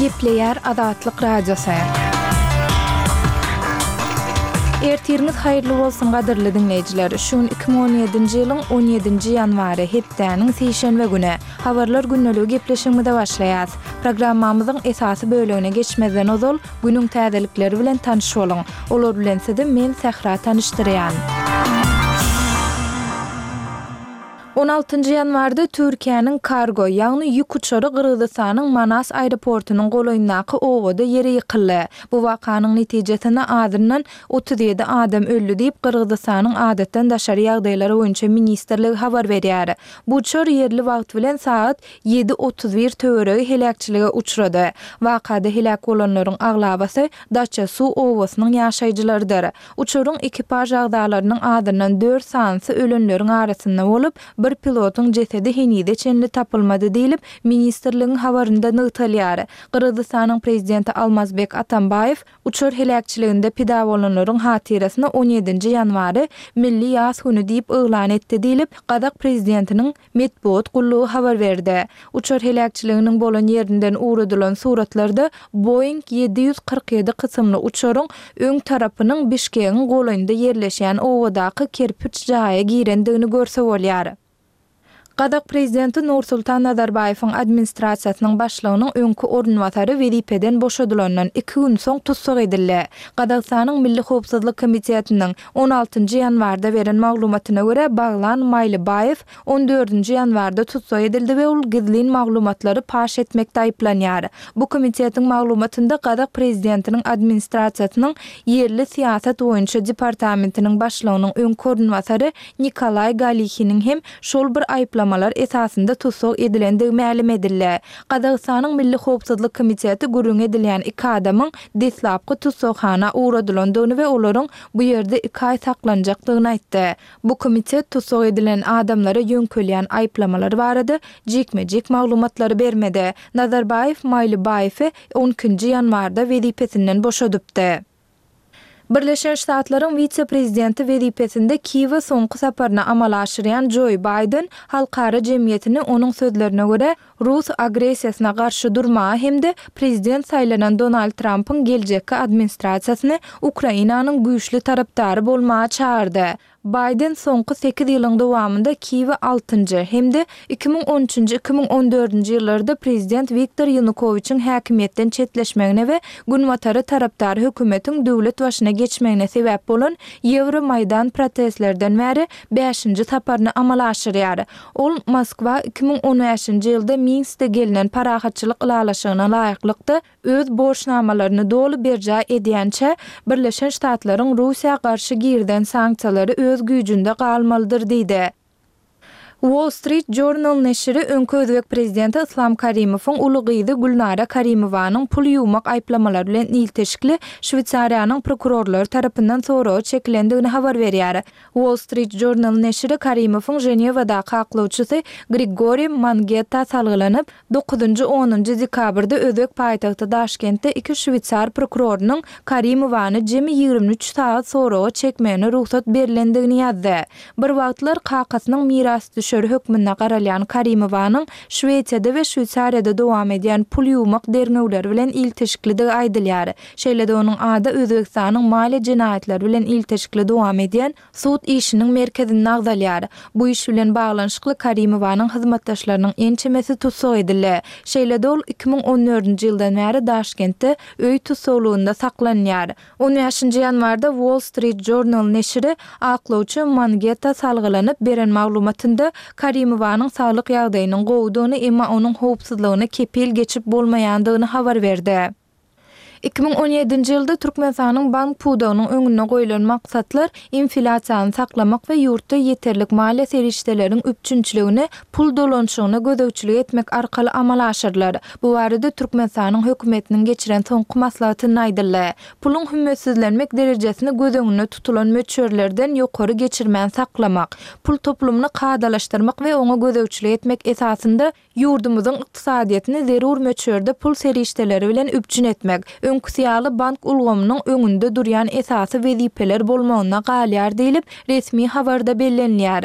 Gepleýär Azatlyk Radiosy. Ertiriňiz haýyrly bolsun gadyrly diňleýjiler! Şu gün 2017-nji ýylyň on ýedinji ýanwary, hepdäniň sişenbe güni. Habarlar gündeligi gepleşigimize başlaýas. Programmamyzyň esasy bölegine geçmezden ozal, günüň täzelikleri bilen tanyş boluň. Olar bilen sizi men Sähra tanyşdyrýan. On altynjy ýanwarda Türkiýäniň kargo, ýagny ýük uçary Gyrgyzystanyň Manas aeroportunyň golaýyndaky obada ýere ýykyldy. Bu wakanyň netijesinde azyndan 37 adam öldi diýip, Gyrgyzystanyň Adatdan daşary ýagdaýlar boýunça ministrligi habar berýär. Bu uçar ýerli wagt bilen sagat ýedi 31 töweregi heläkçilige uçrady. Wakada heläk bolanlaryň aglabasy Daça-Su obasynyň ýaşaýjylarydyr. Uçaryň ekipaž agzalarynyň azyndan dört sanysy ölenleriň arasynda bolup, bir pilotyň jesedi henize çenli tapylmady diýlip, ministrligiň habarynda nygtalýar. Gyrgyzystanyň prezidenti Almazbek Atambaýew uçar heläkçiliginde pida bolanlaryň hatyrasyna on ýedinji ýanwary milli ýas güni diýip yglan etdi diýlip, gazak prezidentiniň Metbugat gullugy habar berdi. Uçar heläkçiliginiň bolan ýerinden ugradylan suratlarda Boeing 747 kysymly uçaryň öň tarapynyň Bişkegiň golaýynda ýerleşýän obadaky kerpiç jaýa girendigini görse bolýar. Gazak prezidenti Nursultan Nazarbaýewiň administrasiýasynyň başlygynyň öňki orunbasary wezipeden boşadylandan iki gün soň tussag edildi. Gazagystanyň Milli howpsuzlyk komitetiniň On altynjy ýanwarda beren maglumatyna görä, Baglan Maýlybaýew on dördünji ýanwarda tussag edildi we ol gizlin maglumatlary paş etmekde aýyplanýar. Bu komitetiň maglumatynda gazak prezidentiniň administrasiýasynyň ýerli syýasat boýunça departamentiniň başlygynyň öňki orunbasary Nikolaý Galihiniň hem şol bir aýyplamalar esasynda tussag edilendigi mälim edildi. Gazagystanyň Milli howpsuzlyk komiteti gürrüňi edilýän iki adamyň deslapky tussaghana ugradylandygyny we olaryň bu ýerde iki aý saklanjakdygyny aýtdy. Bu komitet tussag edilen adamlara ýöňkelýän aýyplamalar barada jikme-jik maglumatlary bermedi. Nazarbaýew Maýlybaýewi on ikinji ýanwarda wezipesinden boşadypdy. Birleşen Ştatlaryň wise-prezidenti wezipesinde Kiýewe soňky saparyny amala aşyrýan Joi Baýden halkara jemgyýetini, onuň sözlerine görä, rus agressiýasyna garşy durmaga hem-de prezident saýlanan Donald Trampyň geljekki administrasiýasyny Ukrainanyň güýçli tarapdary bolmaga çagyrdy. Baýden soňky sekiz ýylyň dowamynda Kiýewe altynjy hem-de 2013 üçünji, 2014 nji ýyllarda prezident Wiktor Ýanukowiçiň häkimiýetden çetleşmegine we Günbatara tarapdar hökümetiň döwlet başyna geçmegine sebäp bolan Ýewromaýdan protestlerden bäri bäşinji saparyny amala aşyrýar. Ol Moskwa 2015-nji ýylda Minskde gelnen parahatçylyk ylalaşygyna laýyklykda öz borçnamalaryny doly berjaý edýänçä, Birleşen Ştatlaryň Russiýa garşy girizen sanksiýalary öz güýjünde galmalydyr diýdi. Wall Street Journal neşiri öňki özbek prezidenti Yslam Karimowyň uly gyzy Gülnara Karimowanyň pul ýuwmak aýyplamalary bilen ilteşikli Şweýsariýanyň prokurorlary tarapyndan soraga çekilendigini habar berýär. Wall Street Journal neşiri Karimowyň Ženewadaky aklawçysy Grigoriý Mangetta salgylanyp, Dokuzynjy-onunjy dekabrda özbek paýtagty Daşkentde iki şweýsar prokurorynyň Karimowany jemi 23 sagat soraga çekmegine rugsat berlendigini ýazdy. Bir wagtlar kakasynyň mirasdüşeri hökmünde garalýan Karimowanyň Şwesiýada we Şweýsariýada dowam edýän pul ýuwmak derňewleri bilen ilteşiklidigi aýdylýar. Şeýle-de onuň ady Özbegistanyň maliýe jenaýatlary bilen ilteşikli dowam edýän sud işiniň merkezinde agzalýar. Bu iş bilen baglanyşykly Karimowanyň hyzmatdaşlarynyň ençemesi tussag edildi. Şeýle-de ol 2014-nji ýyldan bäri Daşkentde öý tussaglygynda saklanýar. On bäşinji ýanwarda Wall Street Journal neşiri aklawçy Mangeta salgylanyp beren maglumatynda Karimowanyň saglyk ýagdaýynyň gowudygyny, emma onuň howpsuzlygyna kepil geçip bolmaýandygyny habar berdi. 2017-nji ýylda Türkmenistanyň bank pudagynyň öňünde goýlan maksatlar inflýasiýany saklamak we ýurtda ýeterlik maliýe serişdeleriň üpjünçiligini pul dolanyşygyna gözegçilik etmek arkaly amala aşyrylar. Bu barada Türkmenistanyň Hökümetiniň geçiren soňky maslahatynda aýdyldy. Puluň hümmetsizlenmek derejesini göz öňünde tutulan möçberlerden ýokary geçirmän saklamak, pul toplumyny kadalaşdyrmak we oňa gözegçilik etmek esasynda Ýurdumyzyň ykdysadyýetini zerur möçberde pul serişdeleri bilen üpjün etmek, öňküsi ýaly bank ulgamynyň öňünde durýan esasy wezipeler bolmagynda galýar diýlip, resmi habarda bellenilýär.